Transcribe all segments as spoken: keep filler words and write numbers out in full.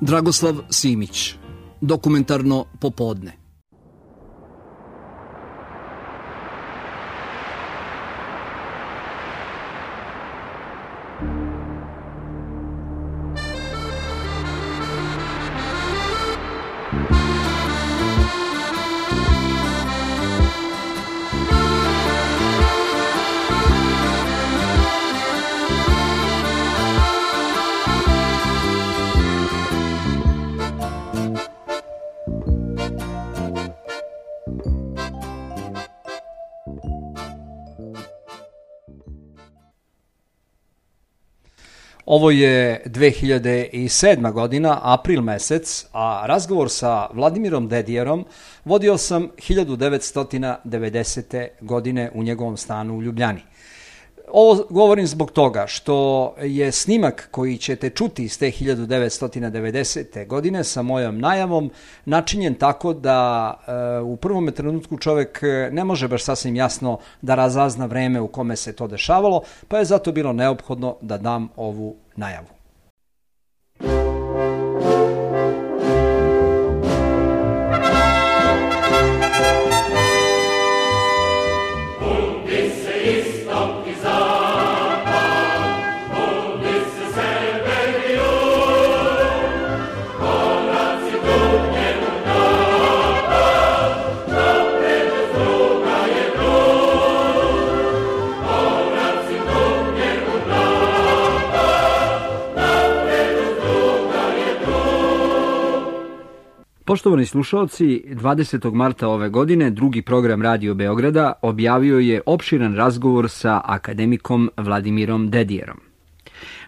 Dragoslav Simić, dokumentarno popodne. Ovo je dve hiljade sedma. godina, april mesec, a razgovor sa Vladimirom Dedijerom vodio sam hiljadu devetsto devedesete. godine u njegovom stanu u Ljubljani. Ovo govorim zbog toga što je snimak koji ćete čuti iz te hiljadu devetsto devedesete. godine sa mojom najavom načinjen tako da e, u prvom trenutku čovjek ne može baš sasvim jasno da razazna vreme u kome se to dešavalo, pa je zato bilo neophodno da dam ovu najavu. Poštovani slušalci, dvadesetog marta ove godine drugi program Radio Beograda objavio je opširan razgovor sa akademikom Vladimirom Dedijerom.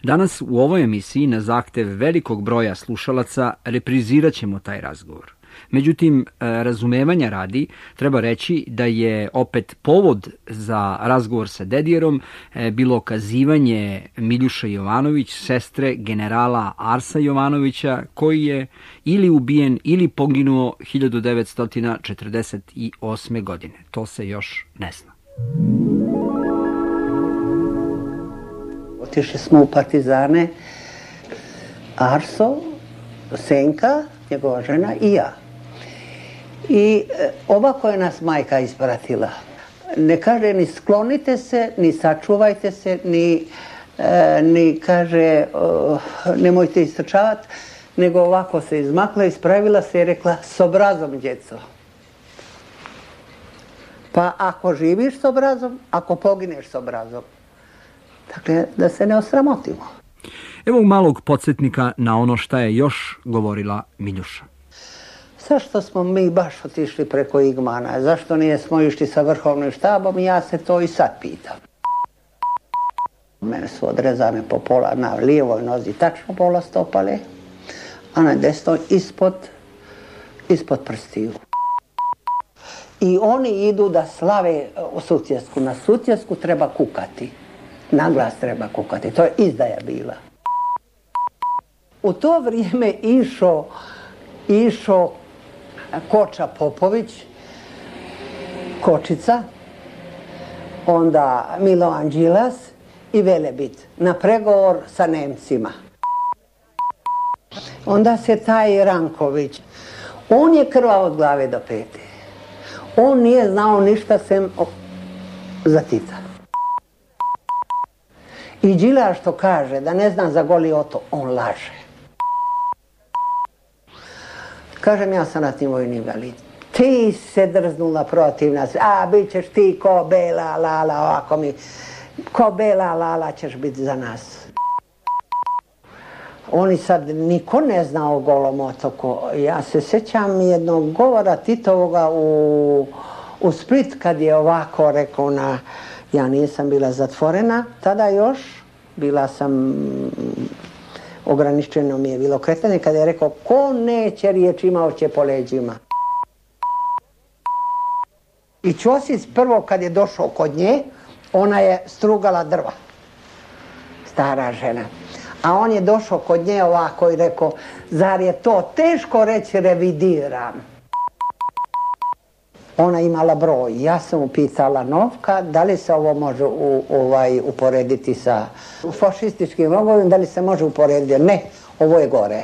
Danas u ovoj emisiji na zahtev velikog broja slušalaca reprizirat ćemo taj razgovor. Međutim, razumevanja radi treba reći da je opet povod za razgovor sa Dedijerom bilo kazivanje Miljuša Jovanović, sestre generala Arsa Jovanovića, koji je ili ubijen ili poginuo hiljadu devetsto četrdeset osme. godine. To se još ne zna. Otišli smo u partizane, Arso, Senka, njegova žena i ja. I ovako je nas majka ispratila. Ne kaže ni sklonite se, ni sačuvajte se, ni, e, ni kaže o, nemojte istrčavati, nego ovako se izmakla, ispravila se i rekla s obrazom, djeco. Pa ako živiš s obrazom, ako pogineš s obrazom. Dakle, da se ne osramotimo. Evo malog podsjetnika na ono šta je još govorila Miljuša. Zašto smo mi baš otišli preko Igmana? Zašto nije smo išli sa vrhovnim štabom? Ja se to i sad pitam. Mene su odrezane po pola na lijevoj nozi, tačno pola stopale, a na desnoj ispod, ispod prstiju. I oni idu da slave u Sutjesku. Na Sutjesku treba kukati. Na glas treba kukati. To je izdaja bila. U to vrijeme išao išao Koča Popović, Kočica, onda Milovan Đilas i Velebit na pregovor sa Nemcima. Onda se taj Ranković, on je krvav od glave do pete. On nije znao ništa sem za Tita. I Đilas što kaže da ne zna za Goli otok, on laže. Kažem, ja sam ratni vojni invalid. Ti se drznula protiv nas, a bit ćeš ti ko bela lala, ovako mi, ko bela lala ćeš biti za nas. Oni sad, niko ne zna o Golom otoku. Ja se sjećam jednog govora Titovoga u, u Split, kad je ovako rekao na, ja nisam bila zatvorena, tada još, bila sam, ograničeno mi je bilo kretanje, kada je rekao, ko neće riječ imao će po leđima. I Ćosić prvo kad je došao kod nje, ona je strugala drva, stara žena. A on je došao kod nje ovako i rekao, zar je to teško reći revidiram? Ona imala broj. Ja sam upitala Novka, da li se ovo može u, ovaj, uporediti sa fašističkim logovima, da li se može uporediti? Ne, ovo je gore.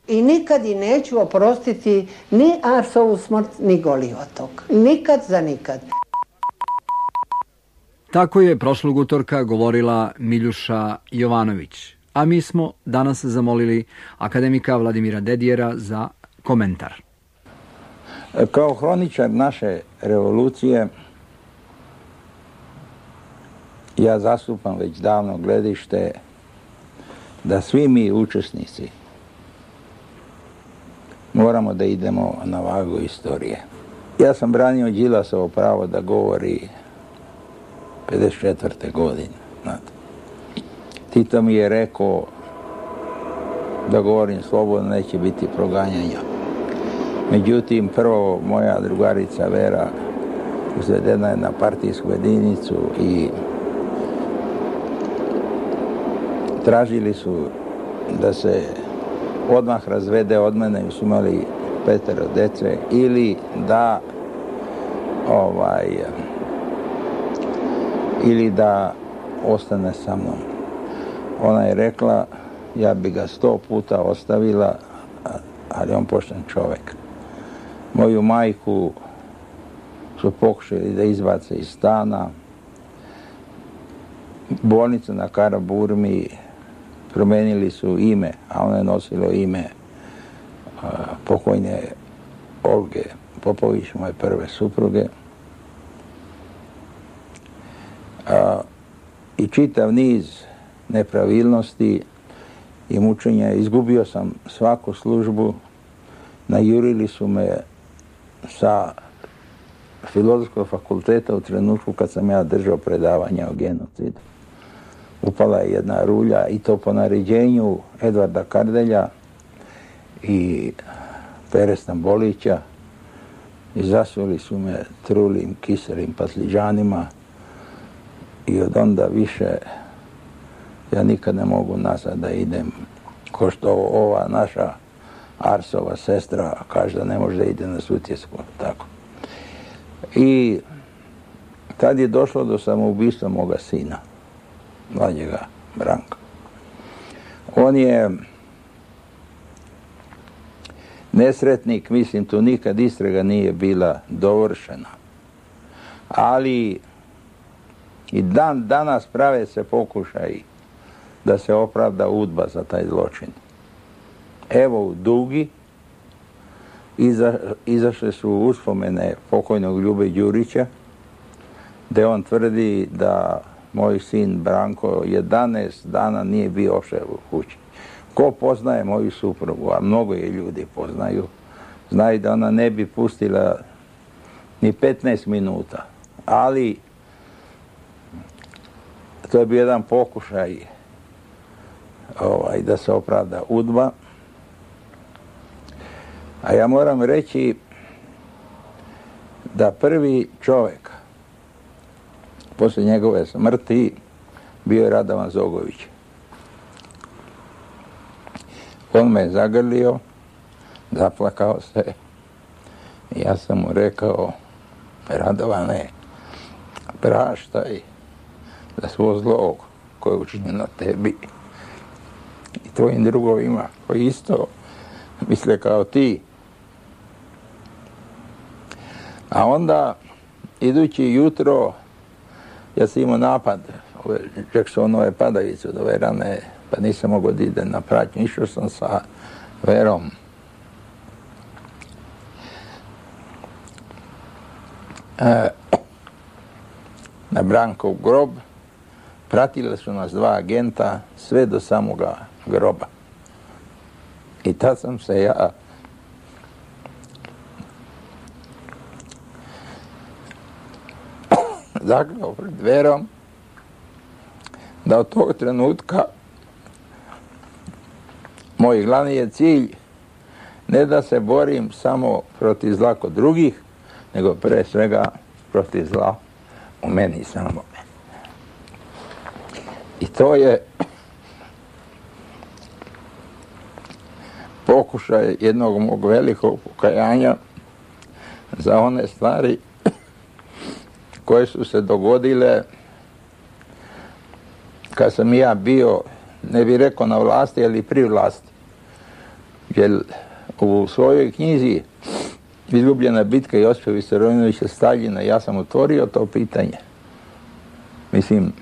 I nikad i neću oprostiti ni Arsovu smrt, ni Goli otok. Nikad za nikad. Tako je prošlog utorka govorila Miljuša Jovanović, a mi smo danas zamolili akademika Vladimira Dedijera za komentar. Kao hroničar naše revolucije ja zastupam već davno gledište da svi mi učesnici moramo da idemo na vagu istorije. Ja sam branio Đilasovo pravo da govori pedeset četvrte godine. Znate. Tito mi je rekao da govorim slobodno, neće biti proganjanja. Međutim, prvo moja drugarica Vera uzvedena je na partijsku jedinicu i tražili su da se odmah razvede od mene, jer su imali petero dece, ili da ovaj ili da ostane sa mnom. Ona je rekla, ja bi ga sto puta ostavila, ali on pošten čovjek. Moju majku su pokušali da izbace iz stana. Bolnicu na Karaburmi promenili su ime, a ona je nosilo ime a, pokojne Olge Popović, moje prve supruge. A, I čitav niz nepravilnosti i mučenja. Izgubio sam svaku službu. Najurili su me sa Filozofskog fakulteta u trenutku kad sam ja držao predavanja o genocidu. Upala je jedna rulja i to po naređenju Edvarda Kardelja i Pere Stambolića i zasuli su me trulim, kiselim pasliđanima i od onda više ja nikad ne mogu nazad da idem, ko što ova naša Arsova sestra kaže da ne može da ide na Sutjesku, tako. I tad je došlo do samoubistva moga sina, mlađega Branka. On je nesretnik, mislim, tu nikad istraga nije bila dovršena. Ali i dan danas prave se pokušaj da se opravda UDBA za taj zločin. Evo u Dugi iza, izašle su uspomene pokojnog Ljube Đurića, gde on tvrdi da moj sin Branko jedanaest dana nije bio uopšte u kući. Ko poznaje moju suprugu, a mnogo je ljudi poznaju, znaju da ona ne bi pustila ni petnaest minuta. Ali to je bio jedan pokušaj ovaj, da se opravda UDBA. A ja moram reći da prvi čovjek posle njegove smrti bio je Radovan Zogović. On me je zagrlio, zaplakao se i ja sam mu rekao, Radovane, praštaj za svo zlo koje je učinjeno tebi i tvojim drugovima koji isto misle kao ti. A onda, idući jutro, ja sam imao napad, ove Jacksonove padavice od ove rane, pa nisam mogao da idem na pratnju. Išao sam sa Verom. E, na Brankov grob, pratile su nas dva agenta sve do samoga groba. I tad sam se ja zakleo pred Verom da od tog trenutka moj glavni je cilj ne da se borim samo protiv zla kod drugih, nego pre svega protiv zla u meni samome. I to je pokušaj jednog mog velikog pokajanja za one stvari koje su se dogodile kad sam ja bio, ne bih rekao na vlasti, ali pri vlasti. jer u svojoj knjizi Izgubljena bitka Josipa Vissarionovića Staljina ja sam otvorio to pitanje. Mislim,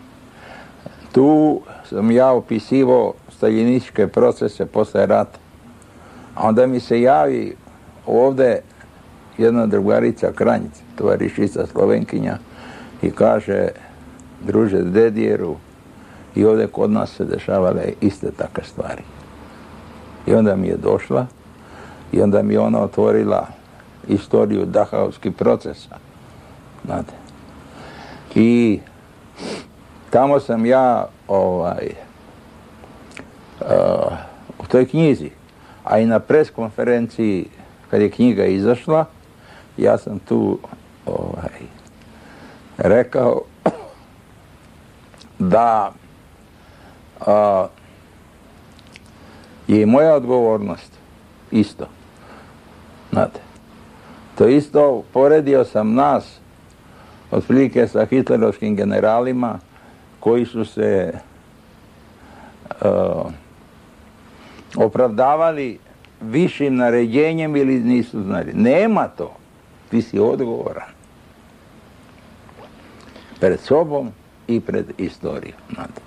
tu sam ja opisivao staljinističke procese posle rata. A onda mi se javi ovde jedna drugarica Kranjica, tovarišica Slovenkinja, i kaže, druže Dedijeru, i ovdje kod nas se dešavale iste takve stvari. I onda mi je došla i onda mi je ona otvorila istoriju Dahaovskih procesa. Znate. I tamo sam ja ovaj, uh, u toj knjizi, a i na pres konferenciji kad je knjiga izašla, ja sam tu ovaj, rekao da a, je i moja odgovornost isto. Znate, to isto poredio sam nas otprilike sa hitlerovskim generalima koji su se a, opravdavali višim naređenjem ili nisu znali. Nema to. Ti si odgovoran. Pred sobom i pred istorijom. Znate.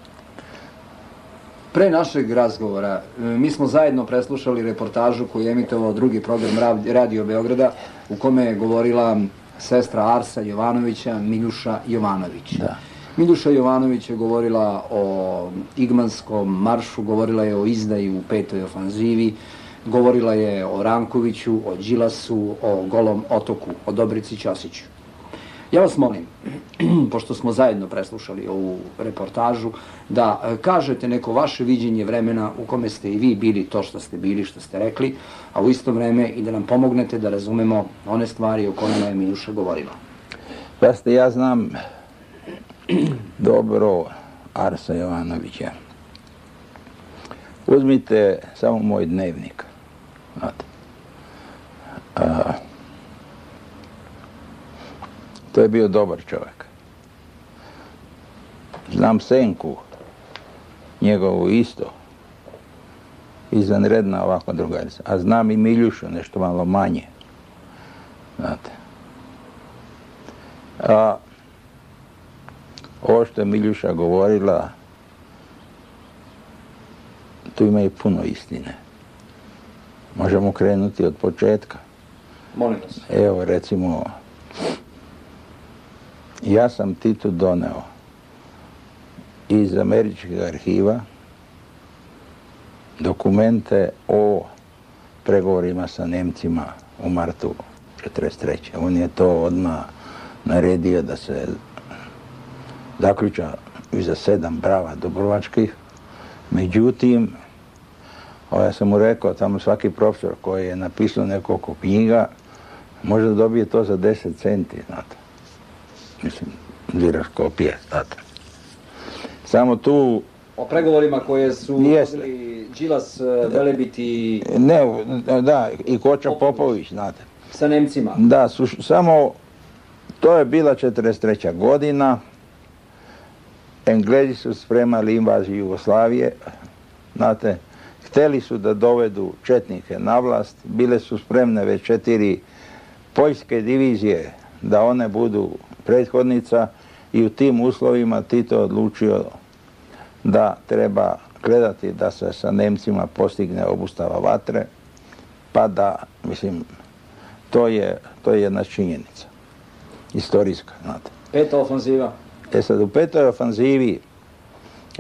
Pre našeg razgovora, mi smo zajedno preslušali reportažu koju je emitovao drugi program Radio Beograda, u kome je govorila sestra Arsa Jovanovića, Miljuša Jovanović. Da. Miljuša Jovanović je govorila o Igmanskom maršu, govorila je o izdaji u petoj ofanzivi, govorila je o Rankoviću, o Đilasu, o Golom otoku, o Dobrici Ćosiću. Ja vas molim, pošto smo zajedno preslušali ovu reportažu, da kažete neko vaše viđenje vremena u kome ste i vi bili to što ste bili, što ste rekli, a u isto vreme i da nam pomognete da razumemo one stvari o kojima je Miljuša govorila. Pazite, ja znam dobro Arsa Jovanovića. Uzmite samo moj dnevnik. Znate. A, to je bio dobar čovjek. Znam Senku, njegovu isto, izvanredna ovako drugarica. A znam i Miljušu, nešto malo manje. Znate. A ovo što je Miljuša govorila, tu ima i puno istine. Možemo krenuti od početka. Molim vas. Evo, recimo, ja sam Titu doneo iz američkih arhiva dokumente o pregovorima sa Nemcima u martu četrdeset treće. On je to odmah naredio da se zaključa iza sedam brava dubrovačkih. Međutim, o, ja sam mu rekao, tamo svaki profesor koji je napisao nekoliko knjiga može da dobije to za deset centi, znate. Mislim, diraš kopije, znate. Samo tu... O pregovorima koje su vodili Đilas, Velebit i... Ne, da, i Koča Popović, znate. Sa Nemcima. Da, su, samo to je bila četrdeset treća godina. Englezi su spremali invaziju Jugoslavije, znate. Hteli su da dovedu četnike na vlast, bile su spremne već četiri poljske divizije da one budu prethodnica i u tim uslovima Tito odlučio da treba gledati da se sa Nemcima postigne obustava vatre, pa da, mislim, to je, to je jedna činjenica, istorijska, znate. Peta ofanziva. E sad, u petoj ofanzivi,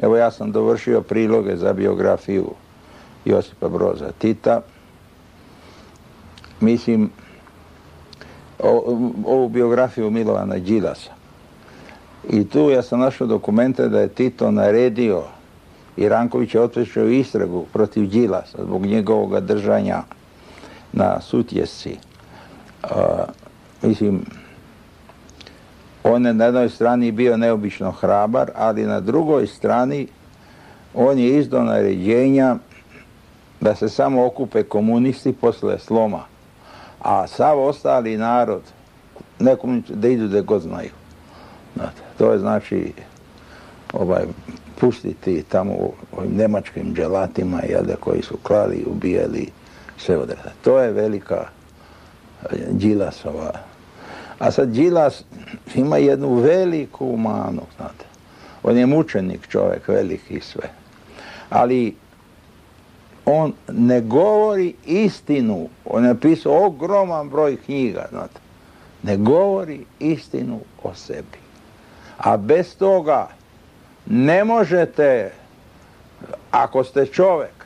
evo ja sam dovršio priloge za biografiju Josipa Broza Tita. Mislim, o, ovu biografiju Milovana Đilasa. I tu ja sam našao dokumente da je Tito naredio i Ranković je otpočeo istragu protiv Đilasa zbog njegovog držanja na Sutjesci. Uh, mislim, on je na jednoj strani bio neobično hrabar, ali na drugoj strani on je izdao naređenja da se samo okupe komunisti posle sloma, a sav ostali narod nekom da idu da god znaju. Znate, to je znači ovaj, pustiti tamo ovim nemačkim dželatima, jelde, koji su klali, ubijali sve odrade. To je velika Đilasova. A sad Đilas ima jednu veliku manu, znate. On je mučenik čovjek, veliki i sve. Ali on ne govori istinu. On je napisao ogroman broj knjiga, znate. Ne govori istinu o sebi. A bez toga ne možete, ako ste čovjek,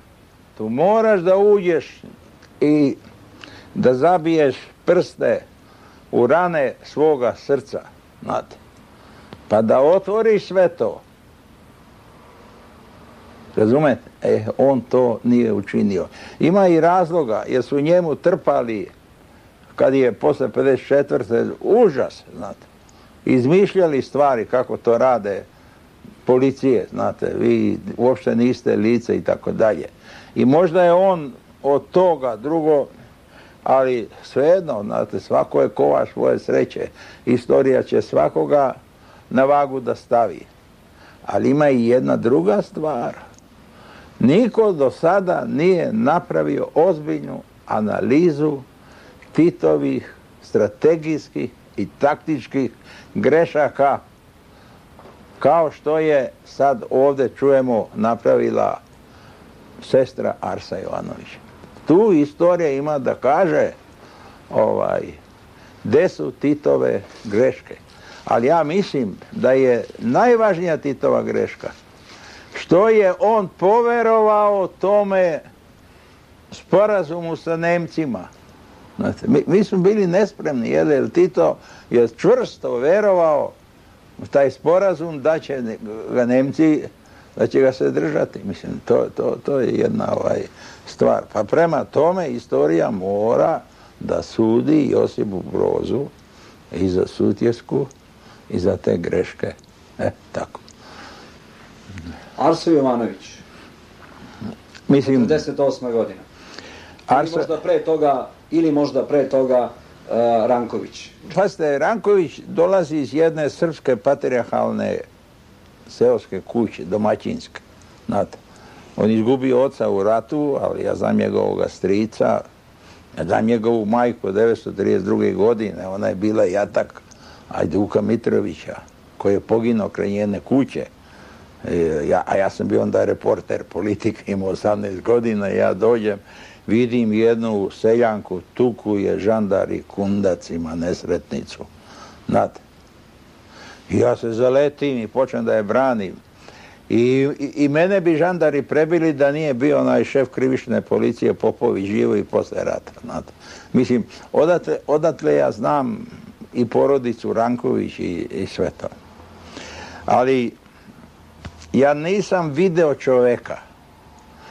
tu moraš da uđeš i da zabiješ prste u rane svoga srca, znate. Pa da otvoriš sve to. Razumete? E, on to nije učinio. Ima i razloga, jer su njemu trpali, kad je posle pedeset četvrte užas, znate. Izmišljali stvari kako to rade policije, znate, vi uopšte niste lice i tako dalje. I možda je on od toga drugo, ali svejedno, znate, svako je kovač svoje sreće. Istorija će svakoga na vagu da stavi. Ali ima i jedna druga stvar. Niko do sada nije napravio ozbiljnu analizu Titovih strategijskih i taktičkih grešaka, kao što je sad ovdje čujemo napravila sestra Arsa Jovanović. Tu istorija ima da kaže ovaj, gde su Titove greške. Ali ja mislim da je najvažnija Titova greška što je on poverovao tome sporazumu sa Nemcima. Znate, mi, mi smo bili nespremni, jer Tito je čvrsto verovao u taj sporazum da će ga Nemci, da će ga se držati. Mislim, to, to, to je jedna ovaj, stvar. Pa prema tome istorija mora da sudi Josipu Brozu i za Sutjesku i za te greške. E, tako. Arso Jovanović. Mislim, četrdeset osma godina. Arso... Ili možda pre toga, ili možda pre toga uh, Ranković. Pazite, Ranković dolazi iz jedne srpske patrijarhalne seoske kuće, domaćinske. Znate, on izgubio oca u ratu, ali ja znam njegovog strica, ja znam njegovu majku od devetsto trideset druge godine, ona je bila jatak Ajduka Mitrovića, koji je poginuo kraj njene kuće. E, ja, a ja sam bio onda reporter politike, imao osamnaest godina, ja dođem, vidim jednu seljanku, tuku je žandari kundacima nesretnicu. Znate. I ja se zaletim i počnem da je branim. I, i, i mene bi žandari prebili da nije bio onaj šef krivične policije Popović živo i posle rata. Znate. Mislim, odatle, odatle ja znam i porodicu Ranković i, i sve to. Ali ja nisam video čoveka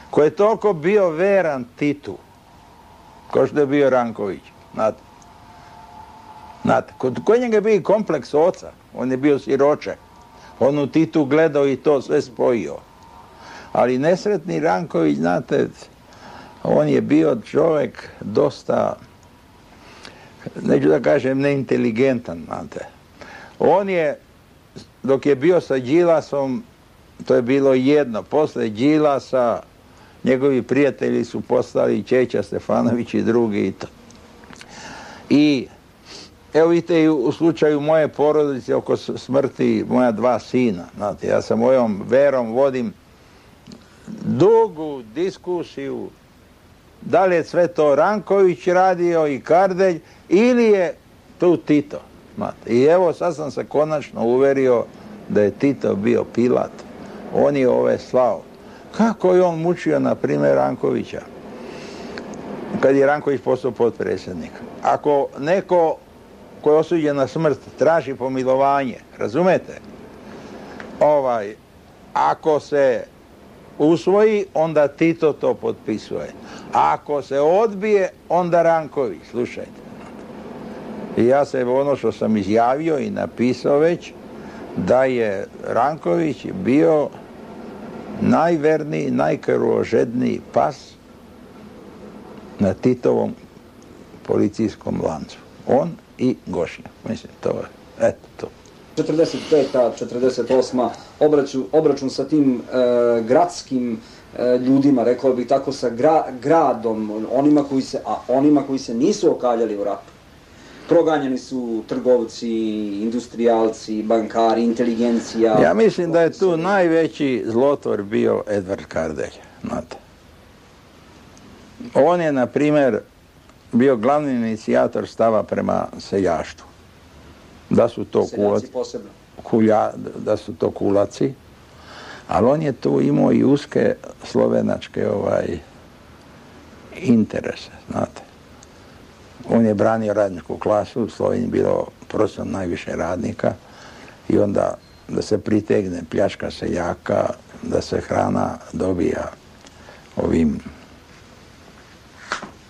koji je toliko bio veran Titu, kao što je bio Ranković. Znate. Znate, kod, kod njega je bio kompleks oca, on je bio siroče. On u Titu gledao i to sve spojio. Ali nesretni Ranković, znate, on je bio čovjek dosta, neću da kažem neinteligentan, znate. On je, dok je bio sa Đilasom, to je bilo jedno. Posle Đilasa, njegovi prijatelji su postali Čeća Stefanović i drugi i to. I evo vidite i u slučaju moje porodice oko smrti moja dva sina. Znate, ja sa mojom verom vodim dugu diskusiju da li je sve to Ranković radio i Kardelj ili je tu Tito. Znate. I evo sad sam se konačno uverio da je Tito bio Pilat. On je ove slao. Kako je on mučio, na primjer, Rankovića? Kad je Ranković postao potpredsjednik. Ako neko ko je osuđen na smrt traži pomilovanje, razumete? Ovaj, ako se usvoji, onda Tito to potpisuje. A ako se odbije, onda Ranković, slušajte. I ja se ono što sam izjavio i napisao već, da je Ranković bio najverniji, najkrvožedniji pas na Titovom policijskom lancu. On i Gošnja. Mislim, to je, eto to. četrdeset peta četrdeset osma obračun, obračun sa tim e, gradskim ljudima, rekao bih tako, sa gra, gradom, onima koji se, a onima koji se nisu okaljali u ratu. Proganjani su trgovci, industrijalci, bankari, inteligencija. Ja mislim da je tu najveći zlotvor bio Edvard Kardelj, znate. On je, na primjer, bio glavni inicijator stava prema seljaštvu. Da su to kulaci, kulja, da su to kulaci, ali on je tu imao i uske slovenačke ovaj, interese, znate. On je branio radničku klasu, u Sloveniji bilo prosječno najviše radnika i onda da se pritegne pljačka seljaka, da se hrana dobija ovim,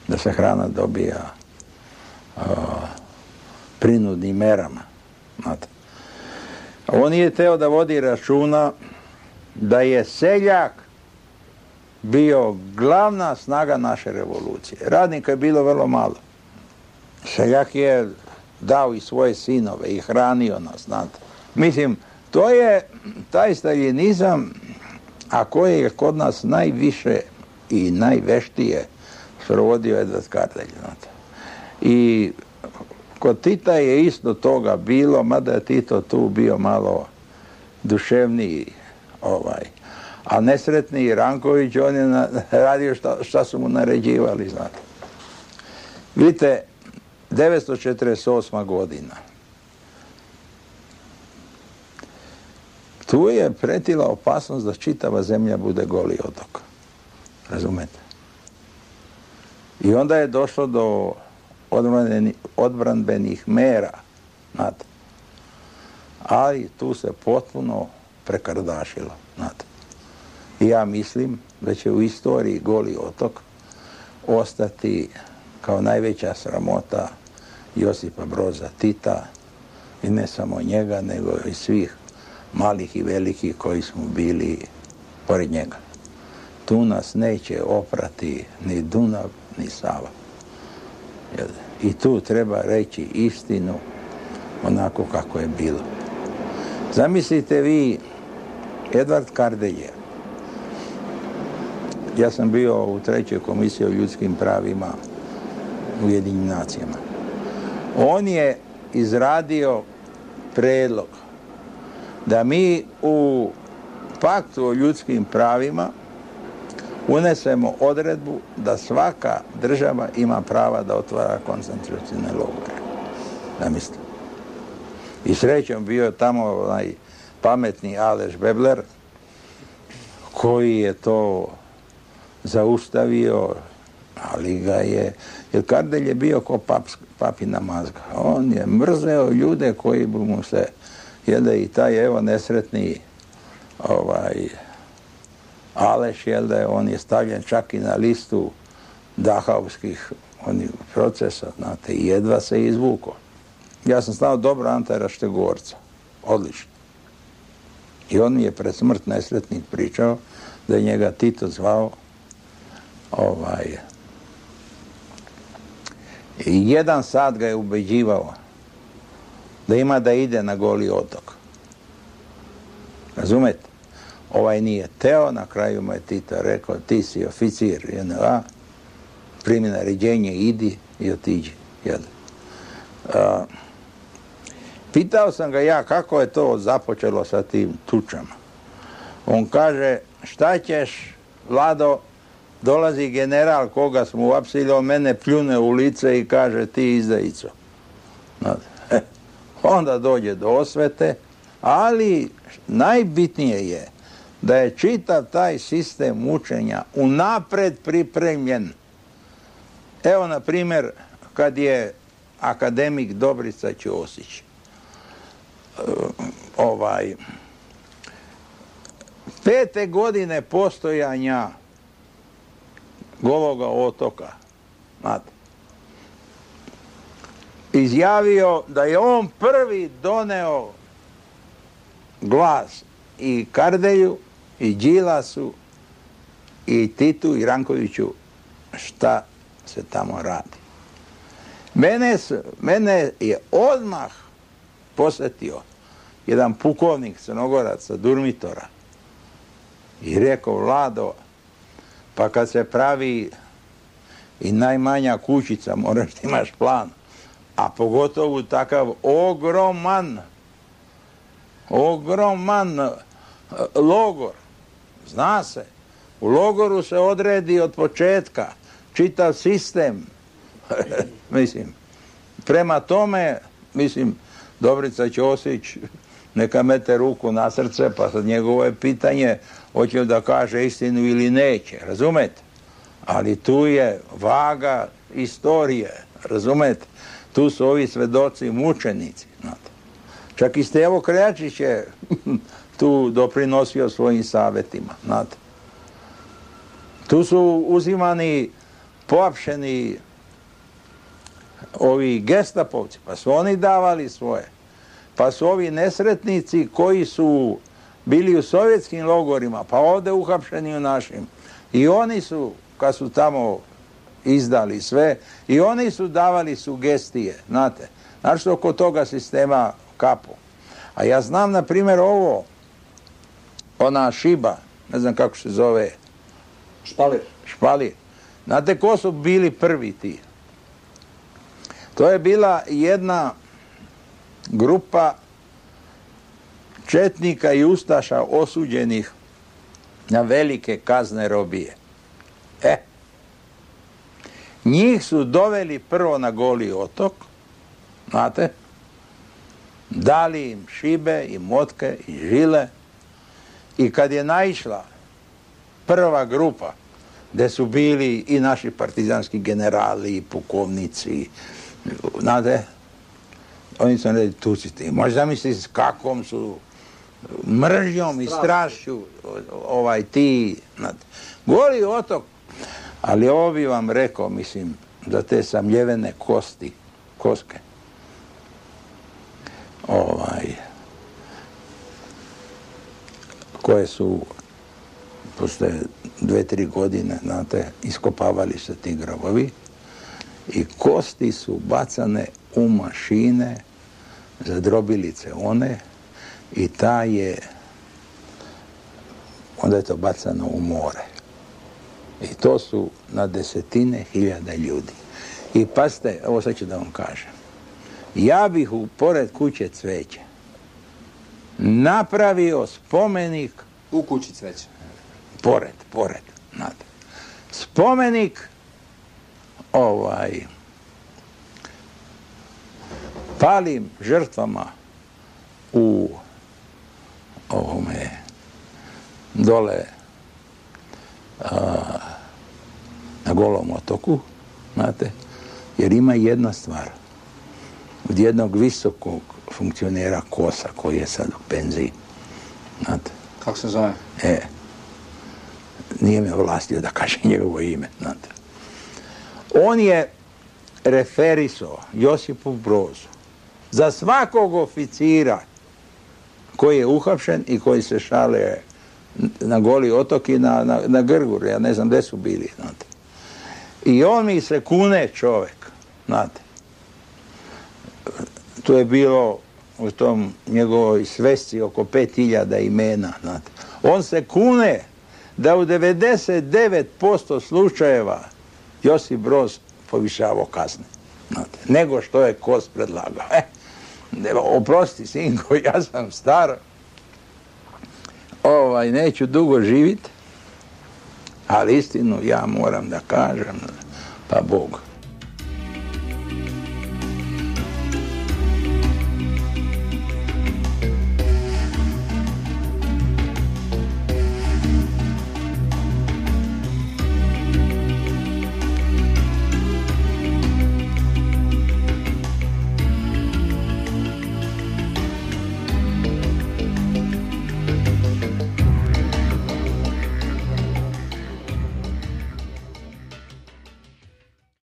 da se hrana dobija uh, prinudnim merama. Znate. On je teo da vodi računa da je seljak bio glavna snaga naše revolucije. Radnika je bilo vrlo malo. Seljak je dao i svoje sinove i hranio nas, znate. Mislim, to je taj staljinizam, a koji je kod nas najviše i najveštije sprovodio Edvard Kardelj, znate. I kod Tita je isto toga bilo, mada je Tito tu bio malo duševniji, ovaj. A nesretni Ranković, on je na, radio šta, šta su mu naređivali, znate. Vidite, devetsto četrdeset osma godina. Tu je pretila opasnost da čitava zemlja bude Goli otok. Razumete? I onda je došlo do odbranbenih mera. Znate. Ali tu se potpuno prekardašilo. Znate. I ja mislim da će u istoriji Goli otok ostati kao najveća sramota Josipa Broza Tita i ne samo njega, nego i svih malih i velikih koji smo bili pored njega. Tu nas neće oprati ni Dunav, ni Sava. I tu treba reći istinu onako kako je bilo. Zamislite vi Edvard Kardelj. Ja sam bio u trećoj komisiji o ljudskim pravima u Ujedinjenim nacijama. On je izradio predlog da mi u paktu o ljudskim pravima unesemo odredbu da svaka država ima prava da otvara koncentracione logore. Zamislite. I srećom bio tamo onaj pametni Aleš Bebler koji je to zaustavio, ali ga je, jer Kardelj je bio ko pap, papina mazga. On je mrzeo ljude koji bi mu se, jel da i taj evo nesretni ovaj Aleš, jel da je, on je stavljen čak i na listu dahavskih onih procesa, znate, i jedva se izvukao. Ja sam znao dobro Antara Štegorca, odlično. I on mi je pred smrt nesretnik pričao da je njega Tito zvao ovaj i jedan sat ga je ubeđivao da ima da ide na Goli otok. Razumete? Ovaj nije teo, na kraju mu je Tito rekao, ti si oficir J N A, primi naređenje, idi i otiđi. A, pitao sam ga ja kako je to započelo sa tim tučama. On kaže, šta ćeš, Vlado, dolazi general koga smo uapsili, on mene pljune u lice i kaže, ti izdajico. Onda dođe do osvete, ali najbitnije je da je čitav taj sistem mučenja unapred pripremljen. Evo, na primjer, kad je akademik Dobrica Ćosić ovaj pete godine postojanja Gologa otoka, znate, izjavio da je on prvi doneo glas i Kardelju, i Đilasu, i Titu, i Rankoviću, šta se tamo radi. Mene, mene je odmah posjetio jedan pukovnik Crnogorac sa Durmitora i rekao, Vlado, Pa kad se pravi i najmanja kućica, moraš da imaš plan. A pogotovo takav ogroman, ogroman logor. Zna se, u logoru se odredi od početka čitav sistem. Mislim, prema tome, mislim, Dobrica Ćosić neka mete ruku na srce, pa sad njegovo je pitanje hoće da kaže istinu ili neće, razumete? Ali tu je vaga istorije, razumete? Tu su ovi svedoci mučenici, znate. Čak i Stevo Krejačić je tu doprinosio svojim savjetima, znate. Tu su uzimani poapšeni ovi gestapovci, pa su oni davali svoje. Pa su ovi nesretnici koji su bili u sovjetskim logorima, pa ovdje uhapšeni u našim. I oni su, kad su tamo izdali sve, i oni su davali sugestije, znate. Znači oko toga sistema kapu. A ja znam, na primjer, ovo, ona šiba, ne znam kako se zove. Špalir. Špalir. Znate ko su bili prvi ti? To je bila jedna grupa četnika i ustaša osuđenih na velike kazne robije. E, njih su doveli prvo na Goli otok, znate, dali im šibe i motke i žile, i kad je naišla prva grupa, gdje su bili i naši partizanski generali i pukovnici, znate, oni su rekli, tu si ti. Možeš zamisliti s kakvom su mržnjom i strašću ovaj ti, znate. Goli otok. Ali ovo bi vam rekao, mislim, za te samljevene kosti, koske. Ovaj, koje su posle dve, tri godine, znate, iskopavali se ti grobovi i kosti su bacane u mašine za drobilice one i ta je, onda je to bacano u more. I to su na desetine hiljada ljudi. I pazite, ovo sad ću da vam kažem. Ja bih u pored kuće Cveće napravio spomenik. U kući Cveće. Pored, pored, znate. Spomenik ovaj palim žrtvama u ovome dole a, na Golom otoku, znate, jer ima jedna stvar. Od jednog visokog funkcionera Kosa, koji je sad u penziji, znate. Kako se zove? E, nije me ovlastio da kaže njegovo ime, znate. On je referisao Josipu Brozu za svakog oficira koji je uhapšen i koji se šale na Goli otok i na, na, na Grgur, ja ne znam gdje su bili, znate. I on mi se kune čovjek, znate. Tu je bilo u tom njegovoj svesci oko pet hiljada imena, znate. On se kune da u devedeset devet posto slučajeva Josip Broz povišavao kazne, znate, nego što je Kos predlagao. E, oprosti, sinko, ja sam star, ovaj, neću dugo živjeti, ali istinu ja moram da kažem, pa Bog.